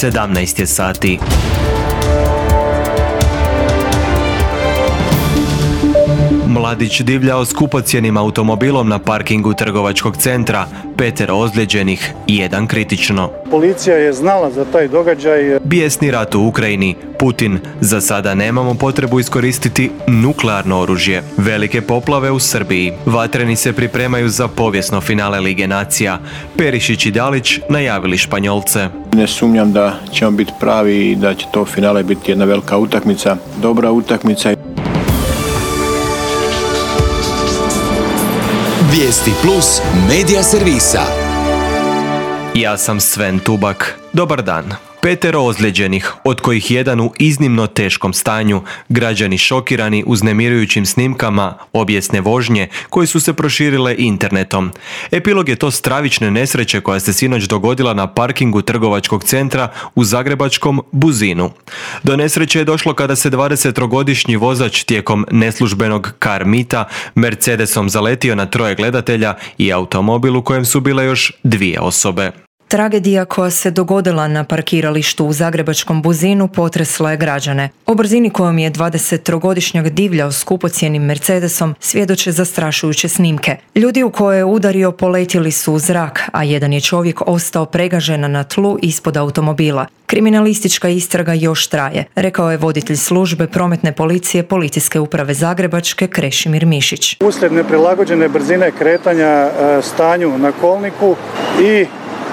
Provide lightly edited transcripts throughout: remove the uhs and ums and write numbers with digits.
17 je sati. Mladić divljao skupocjenim automobilom na parkingu trgovačkog centra, 5 ozlijeđenih i 1 kritično. Policija je znala za taj događaj. Bijesni rat u Ukrajini. Putin: za sada nemamo potrebu iskoristiti nuklearno oružje. Velike poplave u Srbiji. Vatreni se pripremaju za povijesno finale Lige nacija. Perišić i Dalić najavili Španjolce. Ne sumnjam da ćemo biti pravi i da će to finale biti jedna velika utakmica, dobra utakmica. Vijesti Plus medija servisa. Ja sam Sven Tubak. Dobar dan. 5 ozlijeđenih, od kojih 1 u iznimno teškom stanju, građani šokirani uznemirujućim snimkama obijesne vožnje koje su se proširile internetom. Epilog je to stravične nesreće koja se sinoć dogodila na parkingu trgovačkog centra u zagrebačkom Buzinu. Do nesreće je došlo kada se 20-godišnji vozač tijekom neslužbenog car meeta Mercedesom zaletio na 3 gledatelja i automobil u kojem su bile još 2 osobe. Tragedija koja se dogodila na parkiralištu u zagrebačkom Buzinu potresla je građane. O brzini kojom je 20-godišnjak divljao skupocjenim Mercedesom svjedoče zastrašujuće snimke. Ljudi u koje je udario poletjeli su u zrak, a jedan je čovjek ostao pregažen na tlu ispod automobila. Kriminalistička istraga još traje, rekao je voditelj službe prometne policije Policijske uprave Zagrebačke Krešimir Mišić. Uslijed neprilagođene brzine kretanja stanju na kolniku i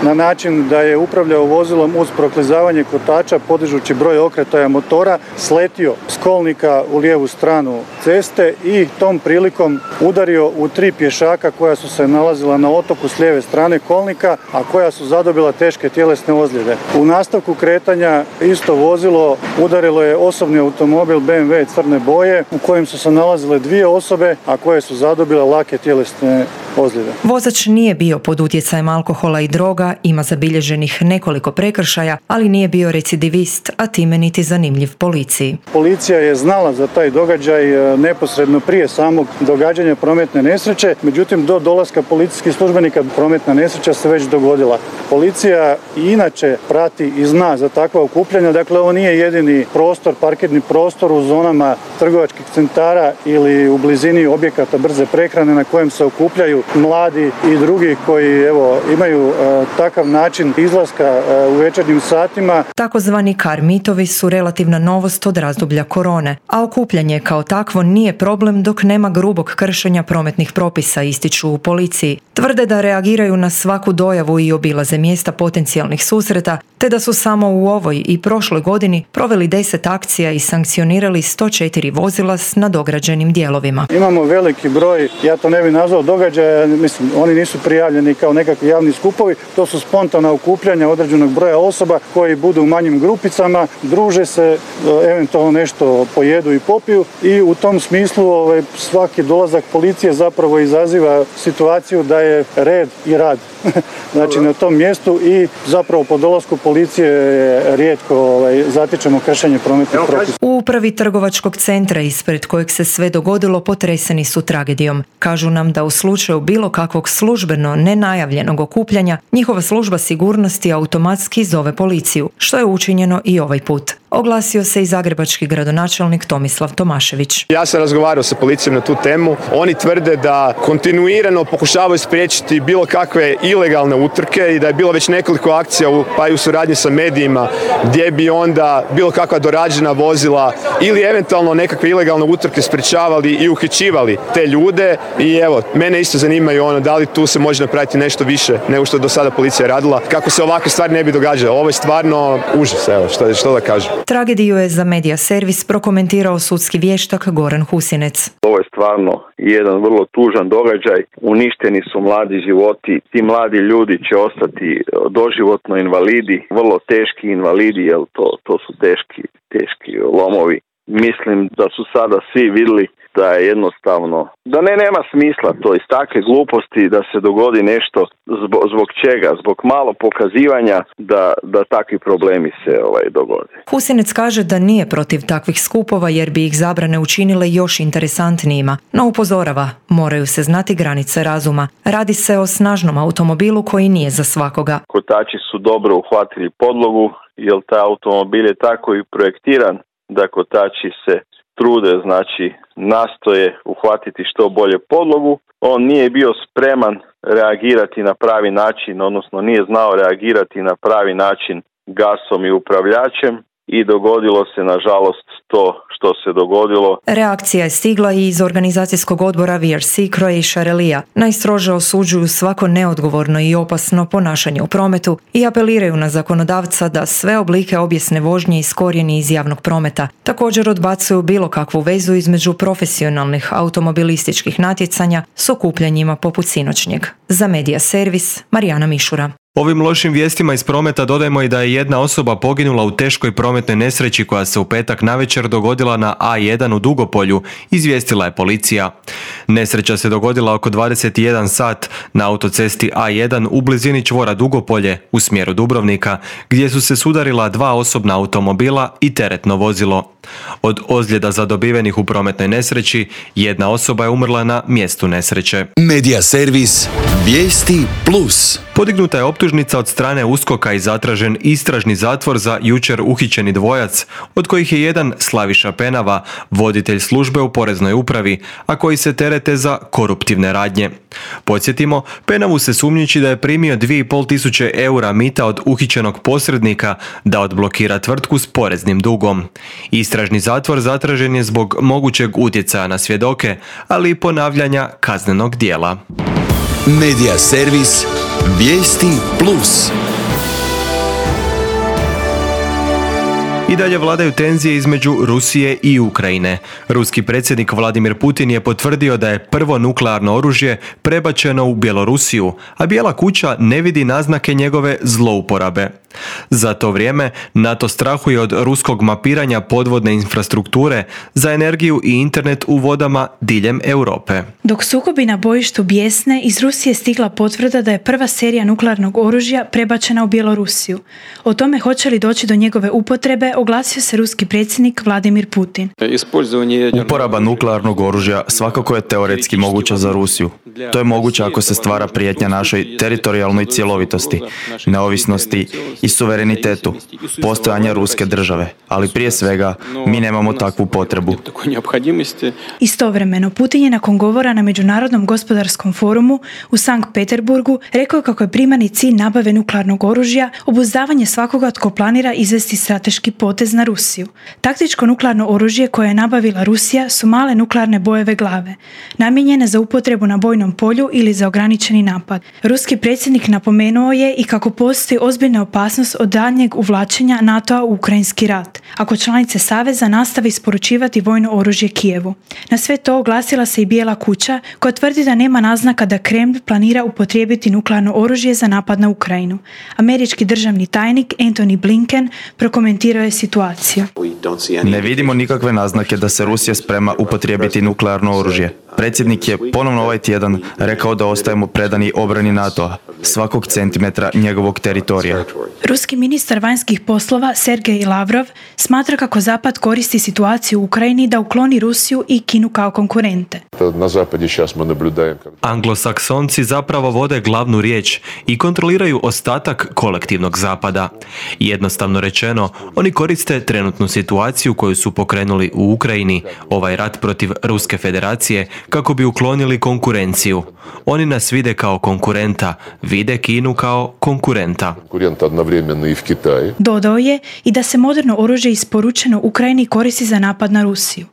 na način da je upravljao vozilom uz proklizavanje kotača podižući broj okretaja motora, sletio s kolnika u lijevu stranu ceste i tom prilikom udario u 3 pješaka koja su se nalazila na otoku s lijeve strane kolnika, a koja su zadobila teške tjelesne ozljede. U nastavku kretanja isto vozilo udarilo je osobni automobil BMW crne boje u kojem su se nalazile 2 osobe, a koje su zadobile lake tjelesne ozljede. Vozač nije bio pod utjecajem alkohola i droga, ima zabilježenih nekoliko prekršaja, ali nije bio recidivist, a time niti zanimljiv policiji. Policija je znala za taj događaj neposredno prije samog događanja prometne nesreće, međutim do dolaska policijskih službenika prometna nesreća se već dogodila. Policija i inače prati i zna za takva okupljanja, dakle ovo nije jedini prostor, parkirni prostor u zonama trgovačkih centara ili u blizini objekata brze prehrane na kojem se okupljaju mladi i drugi koji imaju takav način izlaska u večernjim satima. Takozvani car meetovi su relativna novost od razdoblja korone, a okupljanje kao takvo nije problem dok nema grubog kršenja prometnih propisa, ističu u policiji. Tvrde da reagiraju na svaku dojavu i obilaze mjesta potencijalnih susreta, te da su samo u ovoj i prošloj godini proveli 10 akcija i sankcionirali 104 vozila s nadograđenim dijelovima. Imamo veliki broj, ja to ne bih nazvao događaja, mislim, oni nisu prijavljeni kao nekakvi javni skupovi, to su spontana okupljanja određenog broja osoba koji budu u manjim grupicama, druže se, eventualno nešto pojedu i popiju i u tom smislu svaki dolazak policije zapravo izaziva situaciju da je red i rad. Znači na tom mjestu i zapravo po dolasku policije rijetko zatičemo kršenje prometnih propisa. U upravi trgovačkog centra ispred kojeg se sve dogodilo potreseni su tragedijom. Kažu nam da u slučaju bilo kakvog službeno nenajavljenog okupljanja njihova služba sigurnosti automatski zove policiju, što je učinjeno i ovaj put. Oglasio se i zagrebački gradonačelnik Tomislav Tomašević. Ja sam razgovarao sa policijom na tu temu. Oni tvrde da kontinuirano pokušavaju spriječiti bilo kakve ilegalne utrke i da je bilo već nekoliko akcija pa i u suradnji sa medijima gdje bi onda bilo kakva dorađena vozila ili eventualno nekakve ilegalne utrke sprečavali i uhićivali te ljude. I evo, mene isto zanimaju da li tu se može napraviti nešto više nego što je do sada policija radila kako se ovakve stvari ne bi događale. Ovo je stvarno užas, što da kažem. Tragediju je za medija servis prokomentirao sudski vještak Goran Husinec. Ovo je stvarno jedan vrlo tužan događaj. Uništeni su mladi životi. Ti mladi ljudi će ostati doživotno invalidi, vrlo teški invalidi, jer to su teški lomovi. Mislim da su sada svi vidjeli da je jednostavno, da nema smisla to iz takve gluposti da se dogodi nešto zbog čega, zbog malo pokazivanja da takvi problemi se dogode. Husinec kaže da nije protiv takvih skupova jer bi ih zabrane učinile još interesantnijima, no upozorava, moraju se znati granice razuma. Radi se o snažnom automobilu koji nije za svakoga. Kotači su dobro uhvatili podlogu, jer taj automobil je tako i projektiran da kotači se trude, znači nastoje uhvatiti što bolje podlogu. On nije bio spreman reagirati na pravi način, odnosno nije znao reagirati na pravi način gasom i upravljačem i dogodilo se nažalost to što se dogodilo. Reakcija je stigla i iz organizacijskog odbora VRC Croatia Relija. Najstrože osuđuju svako neodgovorno i opasno ponašanje u prometu i apeliraju na zakonodavca da sve oblike obijesne vožnje iskorijeni iz javnog prometa. Također odbacuju bilo kakvu vezu između profesionalnih automobilističkih natjecanja s okupljanjima poput sinoćnjeg. Za Medija servis, Marijana Mišura. Ovim lošim vijestima iz prometa dodajmo i da je jedna osoba poginula u teškoj prometnoj nesreći koja se u petak navečer dogodila na A1 u Dugopolju, izvijestila je policija. Nesreća se dogodila oko 21 sat na autocesti A1 u blizini čvora Dugopolje u smjeru Dubrovnika, gdje su se sudarila dva osobna automobila i teretno vozilo. Od ozljeda zadobivenih u prometnoj nesreći, jedna osoba je umrla na mjestu nesreće. Medija servis Vijesti Plus. Podignuta je optužnica od strane USKOK-a i zatražen istražni zatvor za jučer uhićeni dvojac, od kojih je jedan Slaviša Penava, voditelj službe u Poreznoj upravi, a koji se terete za koruptivne radnje. Podsjetimo, Penavu se sumnjiči da je primio 2.500 eura mita od uhićenog posrednika da odblokira tvrtku s poreznim dugom. Istražni zatvor zatražen je zbog mogućeg utjecaja na svjedoke, ali i ponavljanja kaznenog djela. Medija servis Vijesti Plus. I dalje vladaju tenzije između Rusije i Ukrajine. Ruski predsjednik Vladimir Putin je potvrdio da je prvo nuklearno oružje prebačeno u Bjelorusiju, a Bijela kuća ne vidi naznake njegove zlouporabe. Za to vrijeme NATO strahuje od ruskog mapiranja podvodne infrastrukture za energiju i internet u vodama diljem Europe. Dok sukobi na bojištu bijesne, iz Rusije stigla potvrda da je prva serija nuklearnog oružja prebačena u Bjelorusiju. O tome hoće li doći do njegove upotrebe oglasio se ruski predsjednik Vladimir Putin. Uporaba nuklearnog oružja svakako je teoretski moguća za Rusiju. To je moguće ako se stvara prijetnja našoj teritorijalnoj cjelovitosti, neovisnosti i suverenitetu, postojanja ruske države. Ali prije svega, mi nemamo takvu potrebu. Istovremeno, Putin je nakon govora na Međunarodnom gospodarskom forumu u Sankt Peterburgu rekao kako je primarni cilj nabave nuklearnog oružja obuzdavanje svakoga tko planira izvesti strateški potez na Rusiju. Taktičko nuklearno oružje koje je nabavila Rusija su male nuklearne bojeve glave, namijenjene za upotrebu na bojnom polju ili za ograničeni napad. Ruski predsjednik napomenuo je i kako postoji ozbiljna opasnost od daljnjeg uvlačenja NATO-a u ukrajinski rat, ako članice Saveza nastave isporučivati vojno oružje Kijevu. Na sve to oglasila se i Bijela kuća, koja tvrdi da nema naznaka da Kreml planira upotrijebiti nuklearno oružje za napad na Ukrajinu. Američki državni tajnik Antony Blinken prokomentirao je situaciju. Ne vidimo nikakve naznake da se Rusija sprema upotrijebiti nuklearno oružje. Predsjednik je ponovno ovaj tjedan rekao da ostajemo predani obrani NATO-a, svakog centimetra njegovog teritorija. Ruski ministar vanjskih poslova Sergej Lavrov smatra kako Zapad koristi situaciju u Ukrajini da ukloni Rusiju i Kinu kao konkurente. Anglosaksonci zapravo vode glavnu riječ i kontroliraju ostatak kolektivnog Zapada. Jednostavno rečeno, oni koriste trenutnu situaciju koju su pokrenuli u Ukrajini, ovaj rat protiv Ruske federacije, kako bi uklonili konkurenciju. Oni nas vide kao konkurenta, vide Kinu kao konkurenta. Dodao je i da se moderno oružje isporučeno Ukrajini koristi za napad na Rusiju.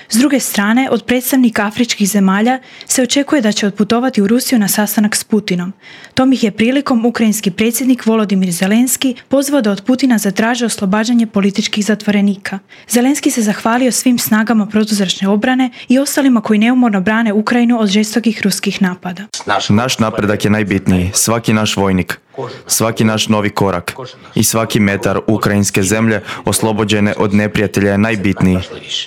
S druge strane, od predstavnika afričkih zemalja se očekuje da će otputovati u Rusiju na sastanak s Putinom. Tom ih je prilikom ukrajinski predsjednik Volodimir Zelenski pozvao da od Putina zatraže oslobađanje političkih zatvorenika. Zelenski se zahvalio svim snagama protuzračne obrane i ostalima koji neumorno brane Ukrajinu od žestokih ruskih napada. Naš napredak je najbitniji, svaki naš vojnik. Svaki naš novi korak i svaki metar ukrajinske zemlje oslobođene od neprijatelja je najbitniji.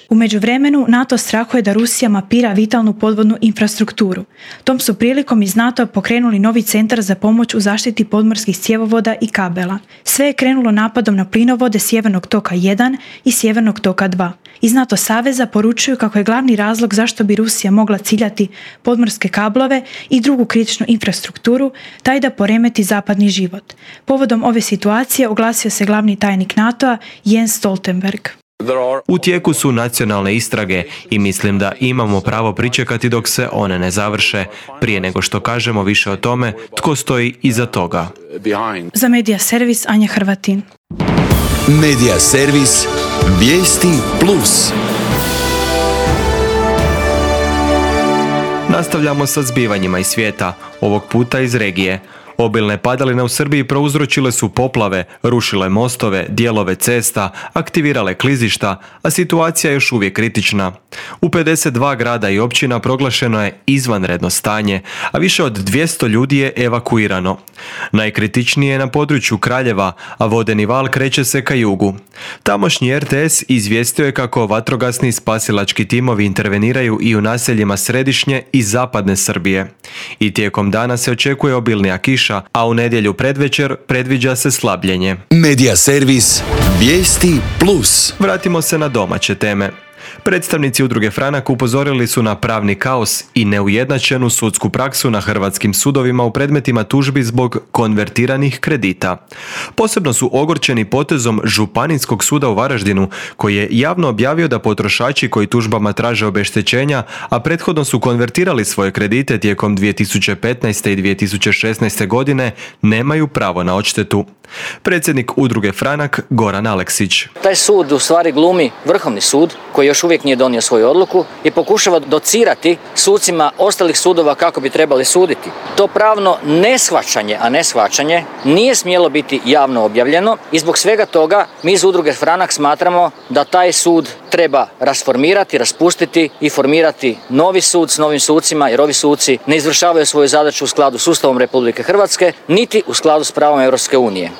U međuvremenu NATO strahuje da Rusija mapira vitalnu podvodnu infrastrukturu. Tom su prilikom iz NATO pokrenuli novi centar za pomoć u zaštiti podmorskih cjevovoda i kabela. Sve je krenulo napadom na plinovode Sjevernog toka 1 i Sjevernog toka 2. Iz NATO saveza poručuju kako je glavni razlog zašto bi Rusija mogla ciljati podmorske kablove i drugu kritičnu infrastrukturu taj da poremeti zapadni život. Povodom ove situacije oglasio se glavni tajnik NATO-a Jens Stoltenberg. U tijeku su nacionalne istrage i mislim da imamo pravo pričekati dok se one ne završe, prije nego što kažemo više o tome tko stoji iza toga. Za Medija servis Anja Hrvatin. Medija servis Vijesti Plus. Nastavljamo sa zbivanjima iz svijeta, ovog puta iz regije. Obilne padaline u Srbiji prouzročile su poplave, rušile mostove, dijelove cesta, aktivirale klizišta, a situacija je još uvijek kritična. U 52 grada i općina proglašeno je izvanredno stanje, a više od 200 ljudi je evakuirano. Najkritičnije je na području Kraljeva, a vodeni val kreće se ka jugu. Tamošnji RTS izvijestio je kako vatrogasni spasilački timovi interveniraju i u naseljima središnje i zapadne Srbije. I tijekom dana se očekuje obilnija kiša, a u nedjelju predvečer predviđa se slabljenje. Medija servis Vijesti Plus. Vratimo se na domaće teme. Predstavnici udruge Franak upozorili su na pravni kaos i neujednačenu sudsku praksu na hrvatskim sudovima u predmetima tužbi zbog konvertiranih kredita. Posebno su ogorčeni potezom Županijskog suda u Varaždinu, koji je javno objavio da potrošači koji tužbama traže obeštećenja, a prethodno su konvertirali svoje kredite tijekom 2015. i 2016. godine, nemaju pravo na odštetu. Predsjednik udruge Franak Goran Aleksić. Taj sud u stvari glumi Vrhovni sud, koji još uvijek nije donio svoju odluku i pokušava docirati sucima ostalih sudova kako bi trebali suditi. To pravno neshvaćanje nije smjelo biti javno objavljeno i zbog svega toga mi iz udruge Franak smatramo da taj sud treba rasformirati, raspustiti i formirati novi sud s novim sucima, jer ovi suci ne izvršavaju svoju zadaću u skladu s Ustavom Republike Hrvatske, niti u skladu s pravom Europske unije.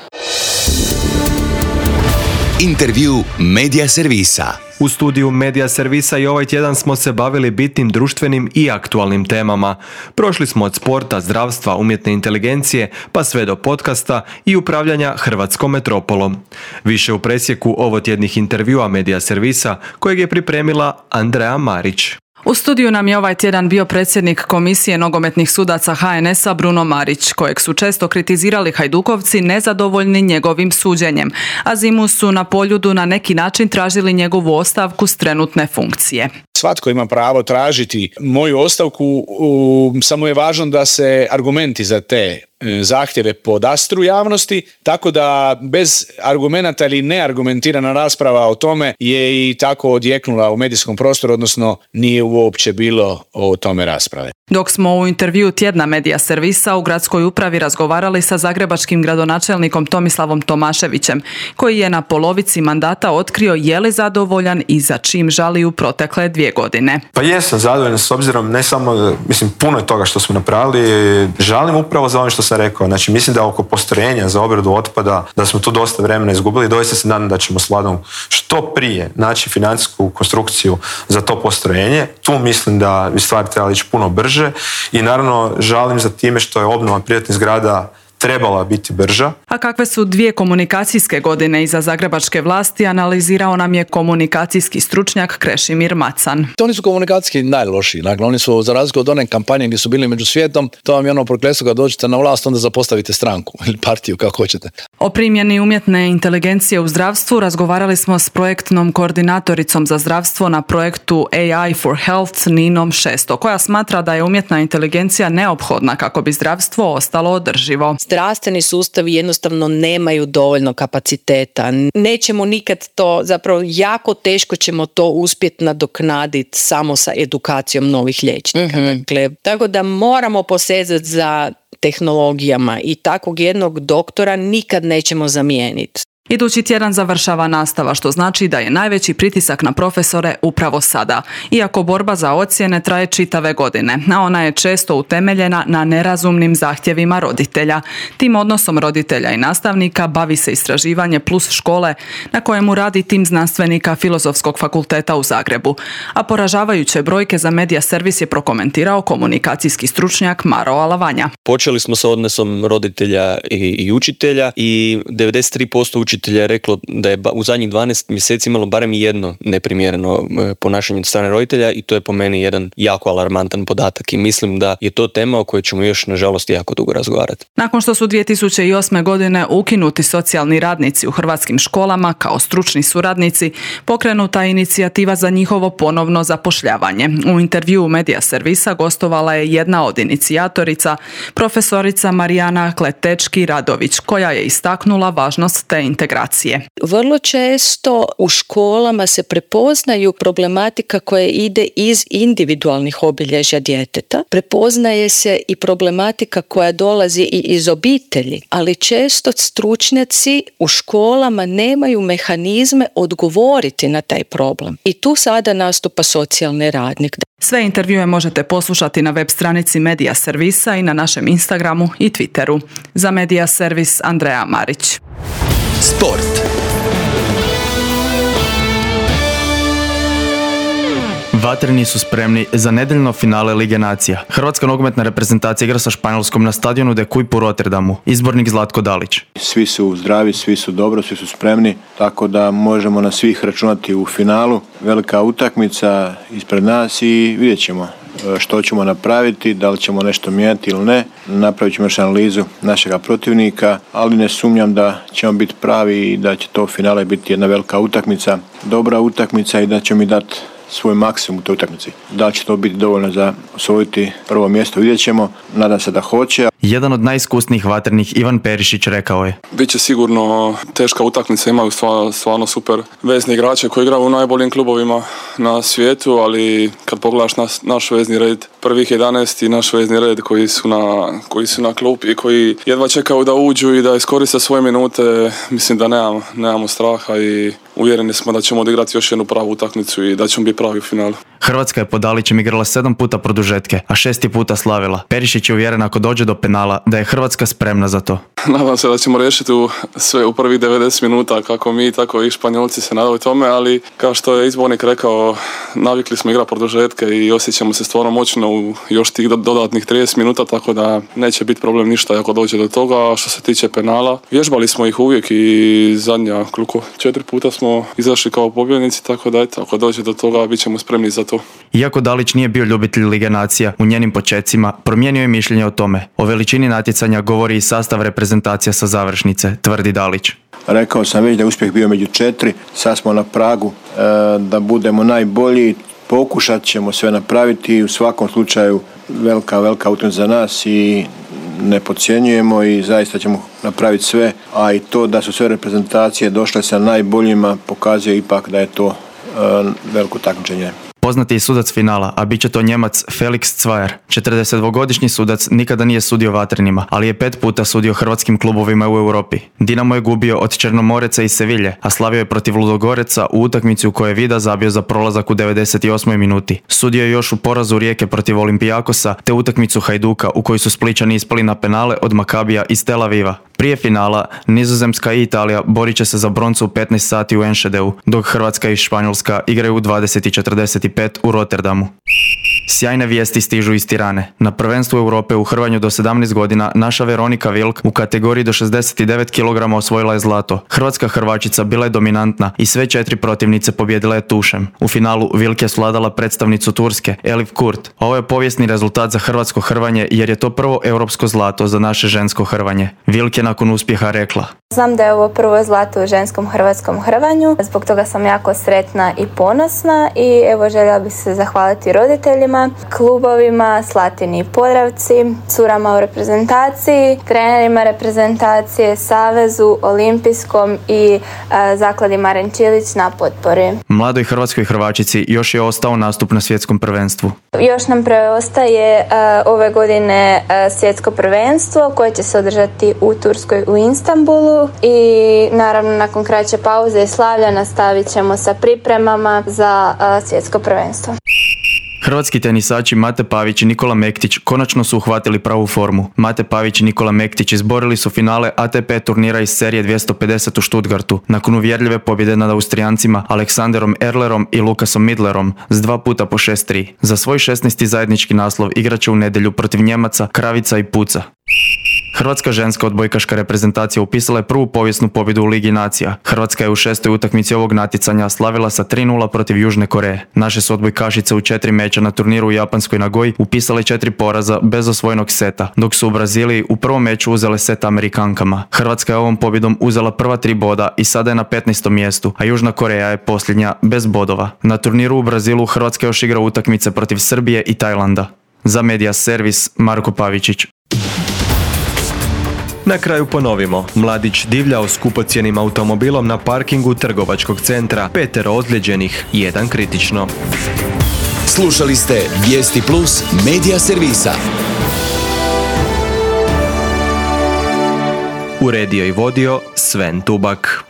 Intervju Medija servisa. U studiju Medija servisa i ovaj tjedan smo se bavili bitnim društvenim i aktualnim temama. Prošli smo od sporta, zdravstva, umjetne inteligencije, pa sve do podcasta i upravljanja Hrvatskom metropolom. Više u presjeku ovotjednih intervjua Medija servisa kojeg je pripremila Andreja Marić. U studiju nam je ovaj tjedan bio predsjednik Komisije nogometnih sudaca HNS-a Bruno Marić, kojeg su često kritizirali Hajdukovci nezadovoljni njegovim suđenjem, a zimu su na Poljudu na neki način tražili njegovu ostavku s trenutne funkcije. Svatko ima pravo tražiti moju ostavku, samo je važno da se argumenti za te zahtjeve podastru javnosti, tako da bez argumenata ili neargumentirana rasprava o tome je i tako odjeknula u medijskom prostoru, odnosno nije uopće bilo o tome rasprave. Dok smo u intervju tjedna Medija servisa u gradskoj upravi razgovarali sa zagrebačkim gradonačelnikom Tomislavom Tomaševićem, koji je na polovici mandata otkrio je li zadovoljan i za čim žali u protekle 2 godine. Pa jesam zadovoljan s obzirom ne samo, puno je toga što smo napravili, žalim upravo za ono što sam rekao. Znači, mislim da oko postrojenja za obradu otpada, da smo tu dosta vremena izgubili, doista se nadam da ćemo s Vladom što prije naći financijsku konstrukciju za to postrojenje. Tu mislim da bi stvari trebali ići puno brže i naravno žalim za time što je obnova privatnih zgrada trebala biti brža. A kakve su 2 komunikacijske godine iza zagrebačke vlasti, analizirao nam je komunikacijski stručnjak Krešimir Macan. Oni su komunikacijski najlošiji. Dakle, oni su, za razliku od one kampanje gdje su bili među svijetom, to vam je ono prokletstvo kad dođete na vlast, onda zapostavite stranku ili partiju, kako hoćete. O primjeni umjetne inteligencije u zdravstvu razgovarali smo s projektnom koordinatoricom za zdravstvo na projektu AI for Health Ninom Šesto, koja smatra da je umjetna inteligencija neophodna kako bi zdravstvo ostalo održivo. Zdravstveni sustavi jednostavno nemaju dovoljno kapaciteta. Nećemo nikad to, zapravo jako teško ćemo to uspjeti nadoknaditi samo sa edukacijom novih liječnika. Dakle, tako da moramo posezati za tehnologijama i takvog jednog doktora nikad nećemo zamijeniti. Idući tjedan završava nastava, što znači da je najveći pritisak na profesore upravo sada. Iako borba za ocjene traje čitave godine, a ona je često utemeljena na nerazumnim zahtjevima roditelja. Tim odnosom roditelja i nastavnika bavi se istraživanje Plus škole, na kojemu radi tim znanstvenika Filozofskog fakulteta u Zagrebu. A poražavajuće brojke za Medija Servis je prokomentirao komunikacijski stručnjak Maro Alavanja. Počeli smo sa odnosom roditelja i učitelja i 93% učitelja je reklo da je u zadnjih 12 mjeseci imalo barem jedno neprimjereno ponašanje od strane roditelja i to je po meni jedan jako alarmantan podatak i mislim da je to tema o kojoj ćemo još nažalost jako dugo razgovarati. Nakon što su 2008. godine ukinuti socijalni radnici u hrvatskim školama kao stručni suradnici, pokrenuta je inicijativa za njihovo ponovno zapošljavanje. U intervjuu Medija Servisa gostovala je jedna od inicijatorica, profesorica Marijana Kletečki-Radović, koja je istaknula važnost te integracije. Vrlo često u školama se prepoznaju problematika koja ide iz individualnih obilježja djeteta. Prepoznaje se i problematika koja dolazi i iz obitelji, ali često stručnjaci u školama nemaju mehanizme odgovoriti na taj problem. I tu sada nastupa socijalni radnik. Sve intervjue možete poslušati na web stranici Medija Servisa i na našem Instagramu i Twitteru. Za Medija Servis Andreja Marić. Sport. Vatreni su spremni za nedeljno finale Lige nacija. Hrvatska nogometna reprezentacija igra sa Španjolskom na stadionu De Kuip u Rotterdamu. Izbornik Zlatko Dalić. Svi su zdravi, svi su dobro, svi su spremni, tako da možemo na svih računati u finalu. Velika utakmica ispred nas i vidjet ćemo što ćemo napraviti, da li ćemo nešto mijenjati ili ne. Napravit ćemo još analizu našega protivnika, ali ne sumnjam da ćemo biti pravi i da će to finale biti jedna velika utakmica, dobra utakmica i da će mi dati svoj maksimum u toj utakmici. Da li će to biti dovoljno za osvojiti prvo mjesto, vidjet ćemo. Nadam se da hoće. Jedan od najiskusnijih vatrenih, Ivan Perišić, rekao je: Biće sigurno teška utakmica, imaju stvarno super vezni igrače koji igraju u najboljim klubovima na svijetu, ali kad pogledaš naš vezni red, prvih 11 i naš vezni red koji su na klupi i koji jedva čekaju da uđu i da iskoriste svoje minute, mislim da nemamo straha i uvjereni smo da ćemo odigrati još jednu pravu utakmicu i da ćemo biti pravi u finalu. Hrvatska je pod Dalićem igrala 7 puta produžetke, a 6 puta slavila. Perišić je uvjeren ako dođe do penala da je Hrvatska spremna za to. Nadam se da ćemo riješiti sve u prvih 90 minuta, kako mi, tako i Španjolci se nadaju tome, ali kao što je izbornik rekao, navikli smo igrati produžetke i osjećamo se stvarno moćno u još tih dodatnih 30 minuta, tako da neće biti problem ništa ako dođe do toga. A što se tiče penala, vježbali smo ih uvijek i zadnja 4 puta smo izašli kao pobjednici, tako da eto, ako dođe do toga bit ćemo spremni za to. Iako Dalić nije bio ljubitelj Lige nacija u njenim počecima, promijenio je mišljenje o tome. O veličini natjecanja govori i sastav reprezentacija sa završnice, tvrdi Dalić. Rekao sam već da je uspjeh bio među 4, sad smo na pragu da budemo najbolji, pokušat ćemo sve napraviti i u svakom slučaju velika utakmica za nas i ne podcjenjujemo i zaista ćemo napraviti sve, a i to da su sve reprezentacije došle sa najboljima pokazuje ipak da je to veliko takmičenje. Poznati je sudac finala, a bit će to Njemac Felix Zweier. 42-godišnji sudac nikada nije sudio vatrenima, ali je 5 puta sudio hrvatskim klubovima u Europi. Dinamo je gubio od Černomoreca i Sevilje, a slavio je protiv Ludogoreca u utakmici u kojoj je Vida zabio za prolazak u 98. minuti. Sudio je još u porazu Rijeke protiv Olimpijakosa, te utakmicu Hajduka u kojoj su Splićani ispali na penale od Makabija iz Tel Aviva. Prije finala, Nizozemska i Italija borit će se za broncu u 15 sati u Enschedeu, dok Hrvatska i Španjolska igraju u 20:45 u Rotterdamu. Sjajne vijesti stižu iz Tirane. Na prvenstvu Europe u hrvanju do 17 godina naša Veronika Vilk u kategoriji do 69 kg osvojila je zlato. Hrvatska hrvačica bila je dominantna i sve 4 protivnice pobijedila je tušem. U finalu Vilk je svladala predstavnicu Turske, Elif Kurt. Ovo je povijesni rezultat za hrvatsko hrvanje jer je to prvo europsko zlato za naše žensko hrvanje. Vilk je nakon uspjeha rekla: Znam da je ovo prvo zlato u ženskom hrvatskom hrvanju, zbog toga sam jako sretna i ponosna i evo željela bih se zahvaliti roditeljima udrugama, klubovima Slatini i Podravci, curama u reprezentaciji, trenerima reprezentacije, Savezu, Olimpijskom i Zakladi Maren Čilić na potpori. Mladoj hrvatskoj hrvačici još je ostao nastup na svjetskom prvenstvu. Još nam preostaje ove godine svjetsko prvenstvo koje će se održati u Turskoj u Istanbulu i naravno nakon kraće pauze i slavlja nastavit ćemo sa pripremama za svjetsko prvenstvo. Hrvatski tenisači Mate Pavić i Nikola Mektić konačno su uhvatili pravu formu. Mate Pavić i Nikola Mektić izborili su finale ATP turnira iz serije 250 u Stuttgartu nakon uvjerljive pobjede nad Austrijancima Aleksanderom Erlerom i Lukasom Midlerom s 2 puta po 6-3. Za svoj 16. zajednički naslov igraće u nedjelju protiv Njemaca Kravica i Puca. Hrvatska ženska odbojkaška reprezentacija upisala je prvu povijesnu pobjedu u Ligi nacija. Hrvatska je u 6. utakmici ovog natjecanja slavila sa 3-0 protiv Južne Koreje. Naše su odbojkašice u 4 meča na turniru u japanskoj Nagoji upisale 4 poraza bez osvojenog seta, dok su u Braziliji u prvom meču uzele set Amerikankama. Hrvatska je ovom pobjedom uzela prva 3 boda i sada je na 15. mjestu, a Južna Koreja je posljednja bez bodova. Na turniru u Brazilu Hrvatska još igra utakmice protiv Srbije i Tajlanda. Za Media Servis, Marko Pavičić. Na kraju ponovimo. Mladić divljao skupocjenim automobilom na parkingu trgovačkog centra, 5 ozlijeđenih, 1 kritično. Slušali ste Vijesti Plus Media Servisa. Uredio i vodio Sven Tubak.